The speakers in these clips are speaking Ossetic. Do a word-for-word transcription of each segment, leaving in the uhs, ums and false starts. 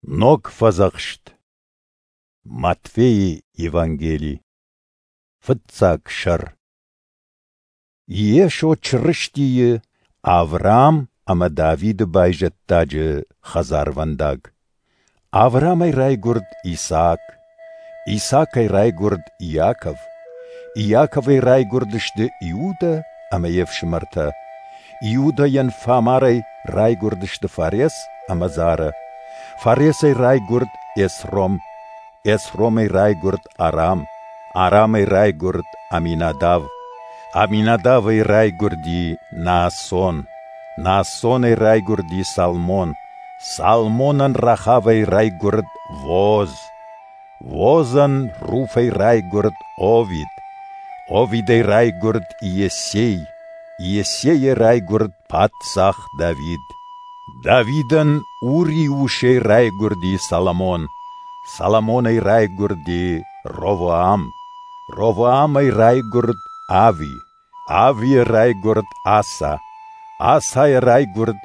Ног Фӕдзӕхст. Матфейы Евангели. Фыццаг сӕр. Йесо Чырыстийы, Авраам ӕмӕ Давиды байзӕддаджы хӕдзарвӕндаг. Авраамӕй райгуырд Исаак, Исаакӕй райгуырд Иаков, Иаковӕй райгуырдысты Иудӕ ӕмӕ йе фсымӕртӕ. Иудӕйӕн Фамарӕй райгуырдысты Фарес ӕмӕ Зара. Фаресӕй райгуырд Эсром, Эсромӕй райгуырд Арам, Арамӕй райгуырд Аминадав, Аминадавӕй райгуырди Наасон, Наассонӕй райгуырди Салмон, Салмонӕн Рахавӕй райгуырд Вооз, Воозӕн Руфӕй райгуырд Овид, Овидӕй райгуырд Иессей, Иессейӕ райгуырд паддзах Давид. Давидӕн Урийы усӕй райгуырди Соломон, Соломонӕй райгуырди Ровоам, Ровоамӕй райгуырд Ави, Авийӕ райгуырд Аса, Асайӕ райгуырд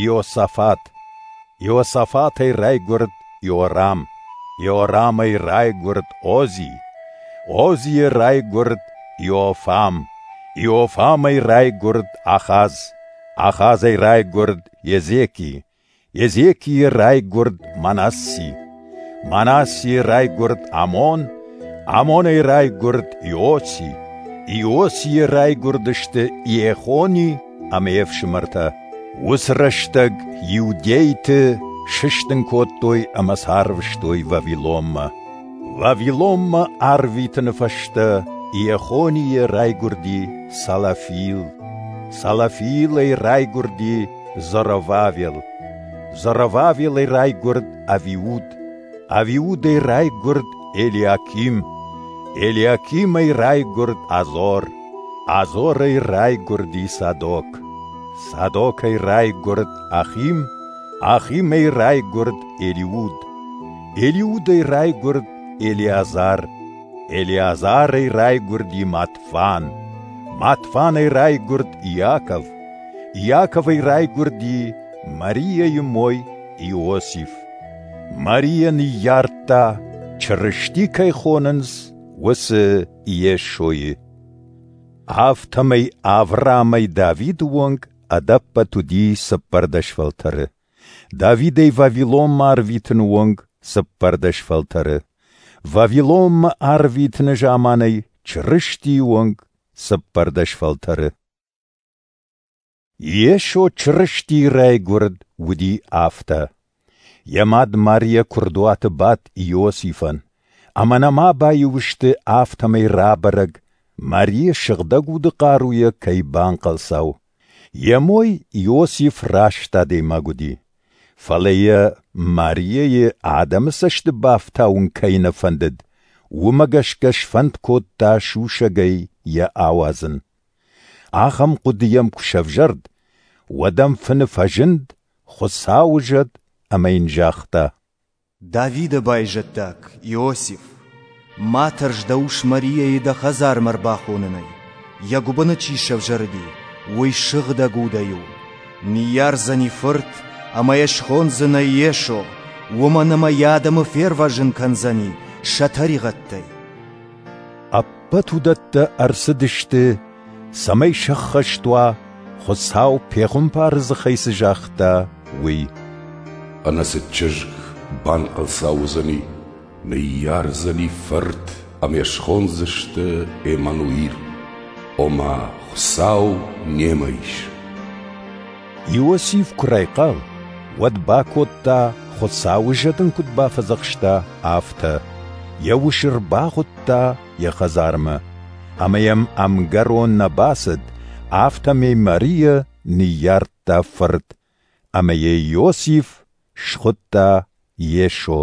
Иосафат, Иосафатӕй райгуырд Иорам, Иорамӕй райгуырд Ози, Озийӕ райгуырд Иофам, Иофамӕй райгуырд Ахаз, Ахазӕй райгуырд Езеки, Езекийӕ райгуырд Манасси, Манассийӕ райгуырд Амон, Амонӕй райгуырд Иоси, Иосийӕ райгуырдысты Иехони ӕмӕ йе фсымӕртӕ. Уыцы рӕстӕг иудейты сыстын кодтой ӕмӕ сӕ арвыстой Вавилонмӕ. Вавилонмӕ арвитыны фӕстӕ Иехонийӕ райгуырди Салафиил, Салафиилӕй райгуырди Зоровавел, Зоровавелӕй райгуырд Авиуд, Авиудӕй райгуырд Элиаким, Элиакимӕй райгуырд Азор, Азорӕй райгуырди Садок, Садокӕй райгуырд Ахим, Ахимӕй райгуырд Елиуд, Елиудӕй райгуырд Елеазар, Елеазарӕй райгуырди Матфан, Матфанӕй райгуырд Иаков, Иаковӕй райгуырди Мариайы мой Иосиф. Мариа ныййардта, Чырысти кӕй хонынц, уыцы Йесойы. Афтӕмӕй Авраамӕй Давиды онг ӕдӕппӕт уыди цыппӕрдӕс фӕлтӕры. Давидӕй Вавилонмӕ арвитыны онг цыппӕрдӕс фӕлтӕры. Вавилонмӕ арвитыны заманӕй Чырыстийы онг цыппӕрдӕс фӕлтӕры. Йесо Чырыстийы райгуырд уыди афтӕ. Йӕ мад Мариа куырдуаты бадт Иосифӕн, ӕмӕ нӕма баиу сты, афтӕмӕй рабӕрӕг, Мариа Сыгъдӕг Уды хъаруйӕ кӕй банхъӕлцау. Йӕ мой Иосиф раст адӕймаг уыди, фӕлӕ йӕ Мариайы адӕмы цӕсты бафтауын кӕй нӕ фӕндыд, уымӕ гӕсгӕ сфӕнд кодта сусӕгӕй йӕ ауадзын. Ахӕм хъуыды йӕм куы сӕвзӕрд, уӕд ӕм фыны фӕзынд Хуыцауы зӕд ӕмӕ йын загъта: Давиды байзӕддаг, Иосиф, ма тӕрс дӕ ус Мариайы дӕ хӕдзармӕ ӕрбахонынӕй. Йӕ гуыбыны чи сӕвзӕрди, уый Сыгъдӕг Удӕй у. Ныййардзӕни фырт, ӕмӕ йӕ схондзынӕ Йесо, уымӕн ӕмӕ йӕ адӕмы фервӕзын кӕндзӕни сӕ тӕригъӕдтӕй. Ӕппӕт уыдӕттӕ ӕрцыдысты, цӕмӕй сӕххӕст уа, Хуыцау пехуымпары дзыхӕй цы загъта, уый. Ӕнӕцыд чызг банхъӕлцау уыдзӕни, ныййардзӕни фырт ӕмӕ йӕ схондзысты Эммануил, ома Хуыцау немӕ ис. Иосиф куы райхъал, уӕд бакодта, Хуыцауы зӕд ын куыд бафӕдзӕхста, афтӕ. Йӕ усы ӕрбахуыдта йӕ хӕдзармӕ, ӕмӕ йӕм ӕмгӕрон нӕ бацыд, афтӕмӕй Мариа ныййардта фырт, ӕмӕ йӕ Иосиф схуыдта Йесо.